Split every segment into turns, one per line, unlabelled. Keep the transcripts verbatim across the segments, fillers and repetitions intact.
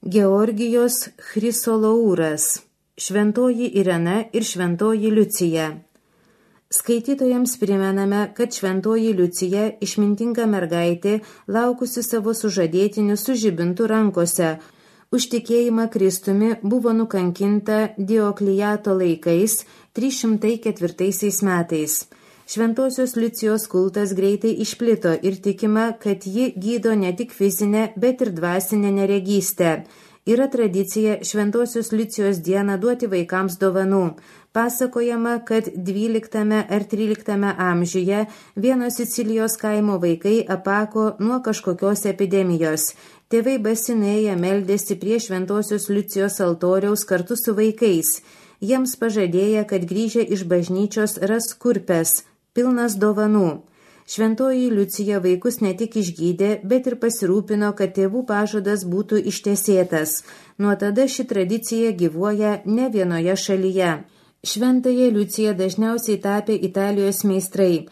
Georgijos Chrysolouras, Šventoji Irena ir Šventoji Liucija. Skaitytojams primename, kad Šventoji Liucija, išmintinga mergaitė, laukusi savo sužadėtinių su žibintu rankose, už tikėjimą Kristumi buvo nukankinta Dioklijato laikais trys šimtai ketvirtaisiais metais. Šventosios Liucijos kultas greitai išplito ir tikima, kad ji gydo ne tik fizinę, bet ir dvasinę neregystę. Yra tradicija Šventosios Liucijos dieną duoti vaikams dovanų. Pasakojama, kad dvyliktame ar tryliktame amžiuje vieno Sicilijos kaimo vaikai apako nuo kažkokios epidemijos. Tėvai basinėje meldėsi prie Šventosios Liucijos altoriaus kartu su vaikais. Jiems pažadėję, kad grįžę iš bažnyčios ras kurpes, pilnas dovanų. Šventoji Liucija vaikus ne tik išgydė, bet ir pasirūpino, kad tėvų pažadas būtų ištesėtas. Nuo tada ši tradicija gyvuoja ne vienoje šalyje. Šventąją Liuciją dažniausiai tapė Italijos meistrai.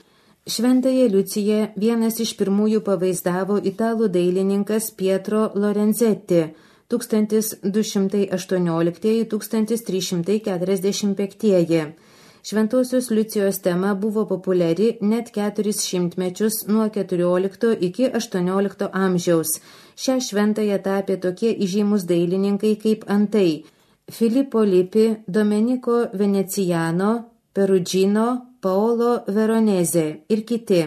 Šventąją Liuciją vienas iš pirmųjų pavaizdavo italų dailininkas Pietro Lorenzetti tūkstantis du šimtai aštuoniolikti - tūkstantis trys šimtai keturiasdešimt penkti. Šventosios Liucijos tema buvo populiari net keturis šimtmečius nuo keturiolikto iki aštuoniolikto amžiaus. Šią šventąją tapė tokie įžymus dailininkai kaip antai Filippo Lippi, Domenico Veneziano, Perugino, Paolo Veronese ir kiti.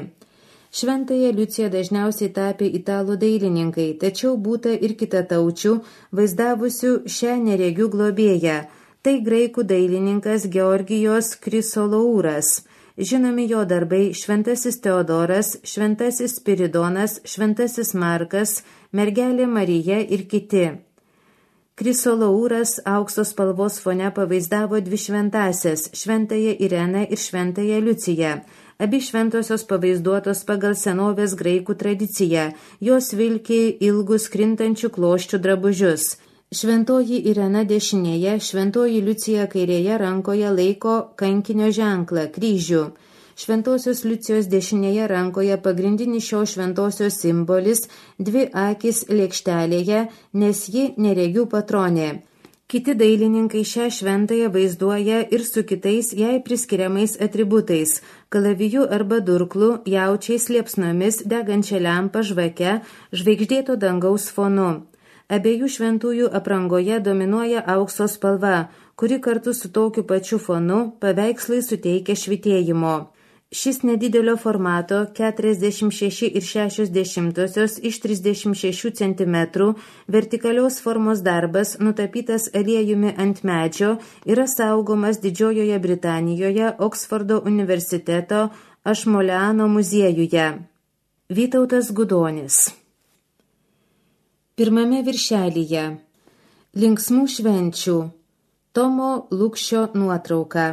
Šventąją Liuciją dažniausiai tapė italų dailininkai, tačiau būta ir kitataučių, vaizdavusių šią neregių globėją. Tai graikų dailininkas Georgijos Chrysolouras. Žinomi jo darbai Šventasis Teodoras, Šventasis Spiridonas, Šventasis Markas, Mergelė Marija ir kiti. Chrysolouras aukso spalvos fone pavaizdavo dvi šventąsias – Šventąją Ireną ir Šventąją Liuciją. Abi šventosios pavaizduotos pagal senovės graikų tradiciją. Jos vilki ilgus krintančių kloščių drabužius. Šventoji Irena dešinėje, Šventoji Liucija kairėje rankoje laiko kankinio ženklą, kryžių. Šventosios Liucijos dešinėje rankoje pagrindinis šios šventosios simbolis – dvi akis lėkštelėje, nes ji neregių patronė. Kiti dailininkai šią šventąją vaizduoja ir su kitais jai priskiriamais atributais – kalaviju arba durklu, jaučiais, liepsnomis, degančia lempa, žvake, žvaigždėto dangaus fonu. Abiejų šventųjų aprangoje dominuoja aukso spalva, kuri kartu su tokiu pačiu fonu paveikslai suteikia švytėjimo. Šis nedidelio formato keturiasdešimt šeši ir šešios dešimtosios iš trisdešimt šešių centimetrų vertikalios formos darbas, nutapytas aliejumi ant medžio, yra saugomas Didžiojoje Britanijoje Oksfordo universiteto Ašmoleano muziejuje. Vytautas Gudonis. Pirmame viršelyje. Linksmų švenčių. Tomo Lukšio nuotrauka.